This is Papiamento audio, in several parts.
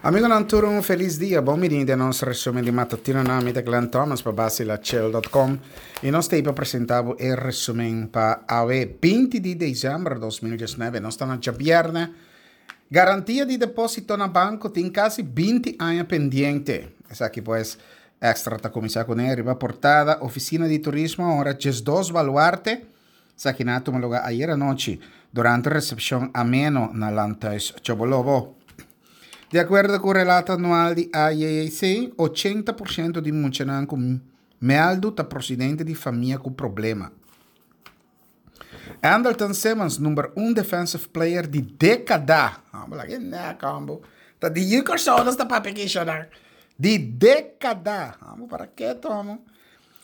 Amigonan tur un felis dia, bon bini den nos resumen di matutino nan mi ta Glenn Thomas pa basilachel.com y nos ta pa presenta bo e resumen pa awe 20 di december 2019. Nos ta na djabierne. Garantia di deposito na banco tin casi 20 aña pendiente. Esaki pues Extra ta cuminsa cune riba portada. Oficina di Turismo a honra 12 baluarte. Esaki nan a tuma lugar ayer anochi durante recepcion ameno na Landhuis Chobolobo. Di acuerdo cu relato anual di AJAC, 80% di muchanan cu meldu ta procedente di famia cu problema. Andrelton Simmons, number un defensive player di decada. Ta di Yucor ta papia Di decada. Para ke tomo?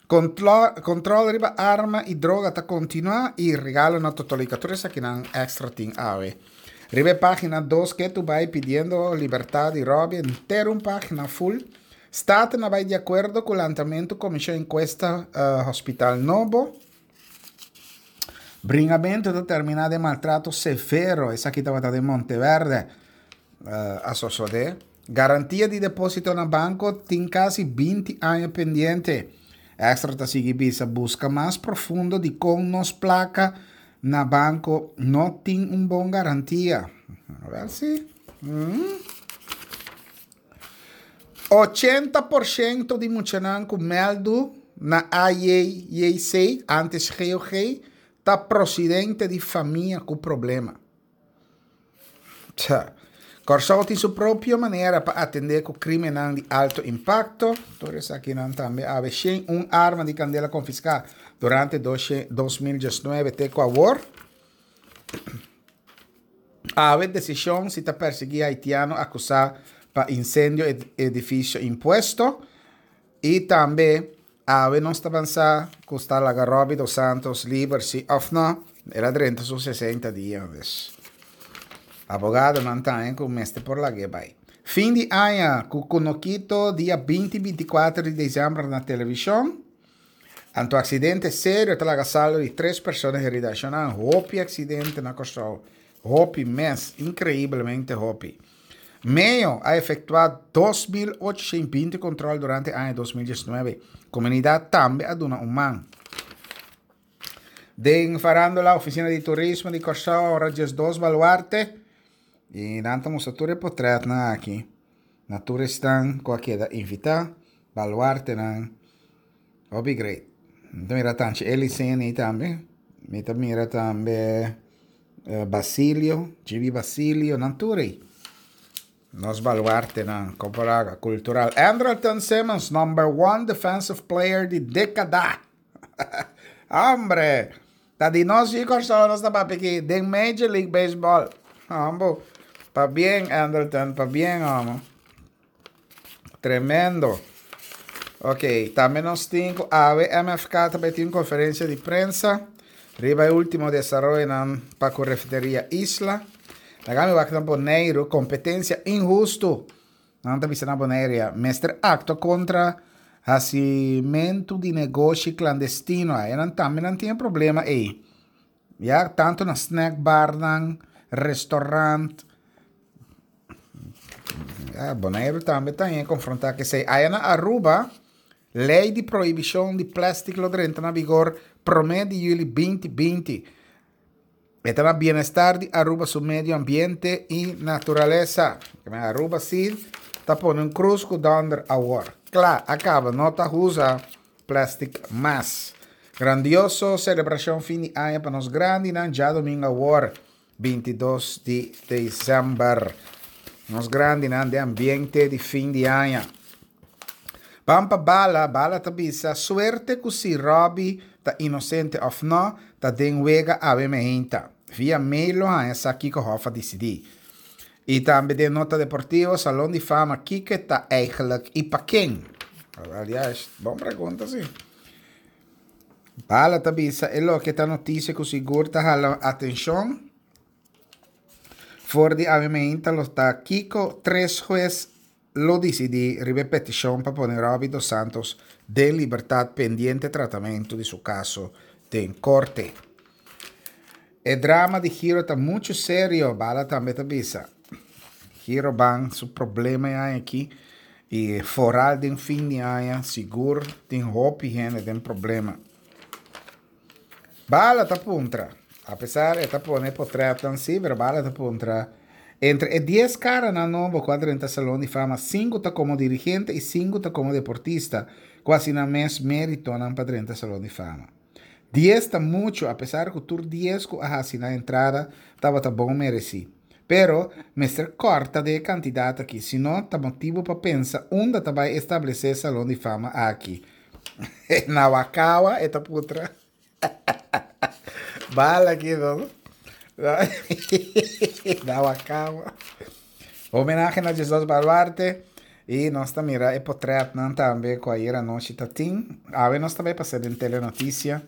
Control riba arma y droga ta continua y regalo na Totolica. Tur esakinan Extra tin awe. Riba pagina 2 cu ta bay pidiendo libertad di Robby, entero un pagina full. Staten a bay di acuerdo cu lantamento comision encuesta hospital nobo. Bringamento ta termina den maltrato severo. Esaki tabata den Monteverde. A sosode. Garantia di deposito na banco tin casi 20 aña pendiente. Extra ta sigui bisa busca mas profundo di con nos placa na banco no tin un bon garantia. A ver si. 80% di muchanan cu meldu na AJJC, antes GOG, ta procedente di famia cu problema. Tja. Corsou tin su propio manera pa atende cu crimennan di alto impacto. Tur esakinan tambe awe un arma di candela confisca durante 2019 te cu awor. Awe decision si ta persigui haitiano acusa pa incendio edificio impuesto. Y tambe awe nos ta avansa cu ta laga Robbie dos Santos liber si of no. El a drenta su 60 dia. Dus. Abogadonan tambe cu mester por lag'e bay. Fin di aña, cu Kunukito dia 20 24 di december na television. Anto accidente serio ta laga saldo di tres persona herida. Hopi accidente na Corsou. Hopi mes, increiblemente hopi. MEO a efectua 2.820 control durante aña 2019. Comunidad tambe a duna un man. Den Farándula, Oficina di Turismo di Corsou, ora 12 baluarte. Y nan ta mustra tur e portretnan aki. Na tur esnan cu a keda invita. Baluartenan. Hopi great. Mi ta mira tanchi Eliseni tambe. Mi ta mira tambe Basilio, Gibi Basilio, nan tur ey. Nos baluartenan, Copenhaga, cultural. Andrelton Simmons, number one defensive player di decada. Hombre, ta di nos y Corsou nos ta papia aki den Major League Baseball. Hombre, pabien Andrelton, pabien, hombre. Tremendo. Ok, tambe nos tin awe MFK tambe tin conferencia di prensa. Riba e ultimo desaroyonan pa cu refineria Isla. Laga mi wak na Bonaire, competencia inhusto. Nan ta bisa na Bonaire, mester actua contra hacimento di negoshi clandestino. Ey nan tambe nan tin problema ey. Ja, tanto na snack bar nan, restaurant. Ja, Bonaire tambe ta confronta cu esey. Aya na Aruba, ley di prohibicion di plastic lo drenta na vigor 1 di juli 2020. E ta na bienestar di Aruba su medio ambiente y naturalesa. Aruba si ta pone un cruz cu donder awor. Claro, a caba, no ta usa plastic mas. Grandioso celebracion fin di aña pa nos grandinan diadomingo awor 22 di december. Nos grandinan den ambiente di fin di aña. Pampa Bala, Bala ta bisa, suerte cu si Robbie ta inocente of no, ta den wega awe meinta. Via mail lo haña sa kico Hof a dicidi. Y tambe den nota deportivo, Salon di Fama, kico ta eigenlijk y pa ken? Alias, bon pregunta, si. Bala ta bisa, e loke ta noticia cu sigur ta hala atencion. For di awe meinta lo ta kico tres hues lo dicidi riba peticion pa pone Robbie dos Santos den libertad pendiente tratamento di su caso den corte. E drama di Giro ta mucho serio, Bala tambe ta bisa. Girobank su problema e aña aki y foral den fin di aña sigur tin hopi hende den problema. Bala ta puntra, apesar e ta pone potretnan si, pero Bala ta puntra, entre e dies karanan nobo ku a drenta Salon di Fama, sinku ta komo dirigente i sinku ta komo deportista ku hasi nan mes meritonan pa drenta Salon di Fama. Dies ta muchu, apesar ku tur dies ku a hasi nan entrada tabata bon meresí. Pero, mester kòrta den e kantidat akí, sino ta motibu pa pensa unda ta bai establesé Salon di Fama akí. Na Wakawa e ta putra. Bala aki no. Na Wakawa. Homenahe na Jesus Baluarte. I nos ta mira e potretnan tambe ku ayer anochi ta tin. Awe nos ta bai pasa den Telenoticia.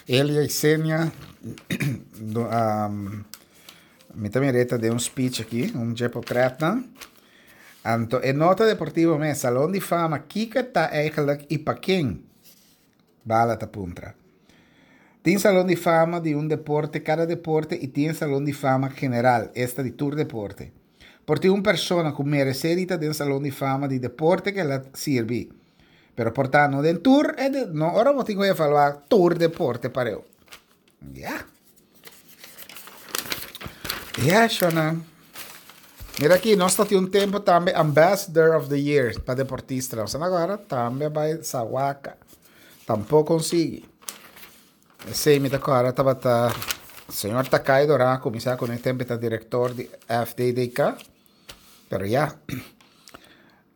Elia Isenia, mi ta mira e ta den un speech aki, un dje potretnan. Anto e nota deportivo mes, Salon di Fama, kiko e ta eigenlijk i pa ken? Bala ta puntra. Tin Salon di Fama di un deporte, kada deporte, i tin e Salon di Fama general, esta di tur deporte. Por tin un persona ku meresé di ta den Salon di Fama di deporte ku el a sirbi. Pero por ta no den tur e de, no ora bo tin ku evaluá tur deporte pareu. Ya. Ya, shona. Mira aki, nos ta tin un tempo tambe Ambassador of the Year pa deportistanan. Nos agora tambe bai Sawaka. Tampoko consigui. Esei mi ta kòrda tabata señor Takai Dorá kuminsá ku e tempo ta direktor di FDDK. Pero ya.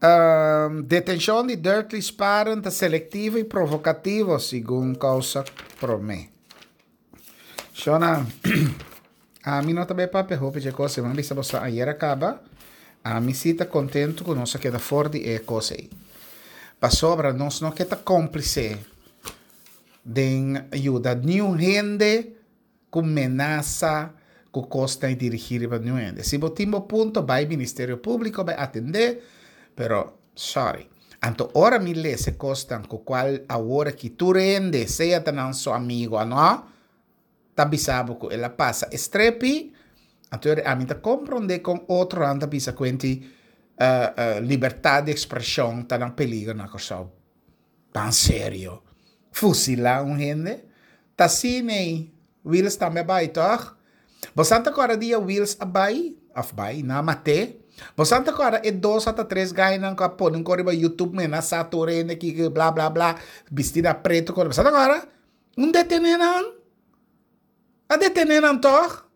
Detenshon di Dirkly Sparen ta selektivo i provokativo, segun Kousa Promé. Shona, ami no ta bai papia hopi dje kos ei, mi a bisa boso ayer a kaba, ami si ta kontentu ku nos a keda for di e kos ei. Pasobra nos no ke ta kómplise den yuda niun hende ku menasa ku kos ta dirigí riba niun hende. Si bo tin bo punto bai Ministerio Públiko bai atendé, pero sorry. Anto ora mi lesa e kosnan ku kual awor aki tur hende, sea ta nan su amigu o no, ta bisa bo ku el a pasa e strepi, anto ami ta komprondé kon otronan ta bisa kuenti libertat di ekspreshon ta na peligro na Kòrsou. Tan serio. Fusilá un hende? Ta asina ei Wiels tambe a bai, tòg? Bosan ta kòrda dia Wiels a bai, òf bai, nan a mat'é? Bosan ta kòrda e dos ata tres gainan ku a pone un kos riba YouTube menasá tur hende kiko bla bla bla, bistí na pretu kos. Bosan ta kòrda? Un detené nan. A detené nan tòg?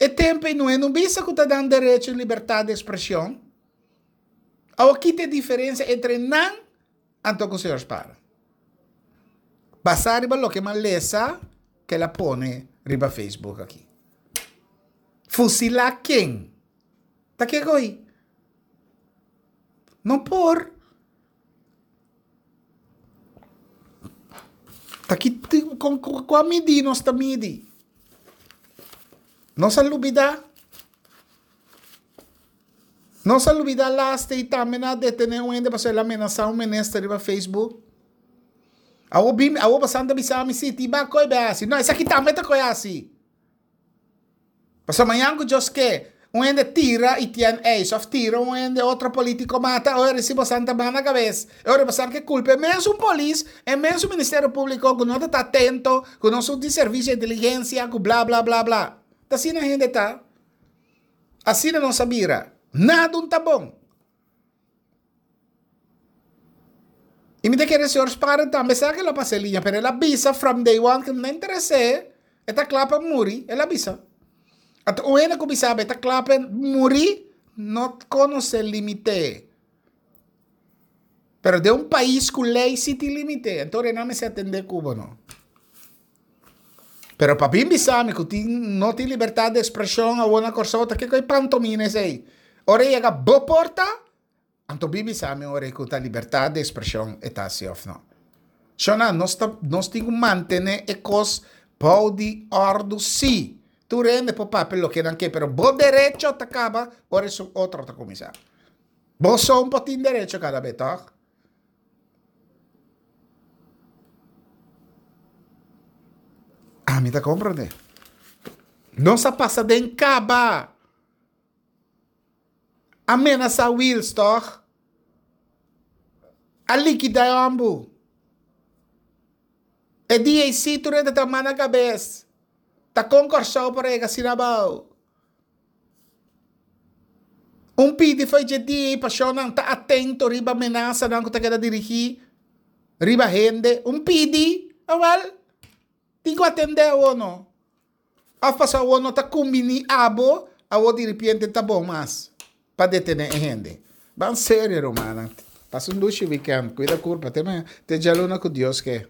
E tempu ei no e no bisa ku ta dan derecho i libertat di ekspreshon. Awor ki ta e diferensia entre nan anto ku señor Spara? Basá riba loke mi a lesa ku el a pone riba Facebook aki. Fusilá ken? Ta ke goi? No por. Ta ki kua midi nos ta midi? Nos a lubida? Nos a lubida laste i tambe nan a detene un hende pasobra el a menasa un minister riba Facebook? Awor bini, awor boso ta bisa mi si, tin ba koe be hasi. No, esaki tambe ta koe hasi. Pasobra mañan ku Dios ke, un hende tira Etienne Eis òf tira un hende otro polítiko mata, ora si boso ta ban na kabes. E ora boso ke kulpa e mesun polis, e mesun Ministerio Públiko ku no ta ta atento, ku no su di servisio di inteligensia, ku bla bla bla bla. Ta asina hende ta. Asina nos a bira. Nada un ta bon. I mi ta kere señor Sparen tambe sa ke lo pasa e liña, pero el a bisa from day one ke no ta interes'é, e ta kla pa muri, el a bisa. Anto un hende ku bisa bo e ta kla pa muri, no konosé limite. Pero den un pais ku lei si tin limite, anto nan mester atendé ku bo no. Pero pa bin bisa mi ku tin no tin libertat di ekspreshon awor na Kòrsou ta kiko e pantomina esei? Ora e yega bo porta, anto bin bisa mi ora ku ta libertat di ekspreshon e ta si òf no. Shona, nos ta nos tin ku mantené e kos bou di òrdu sí. Tur hende por papia loke nan ke, pero bo derecho ta kaba ora esun otro ta kuminsá. Bo son por tin derecho kada be, tòg? Ami ta komprendé. Nos a pasa den kaba. A menasá Wiels tòg? A likidá e hòmbu. E dia ei sí tur hende ta man na kabes. Ta kon Kòrsou por a yega asina abou? Un pidi fo'i dje dia ei pashonnan ta atento riba menasanan ku ta keda dirigí riba hende. Un pidi, awèl, tin ku atendé awor no. Òf pasobra awor no ta kumbiní abo, awor diripiente ta bon mas pa detené e hende. Ban serio rumannan. Pasa un dushi wikènt. Kuida kurpa. Te mañana. Te djaluna ku Dios ke.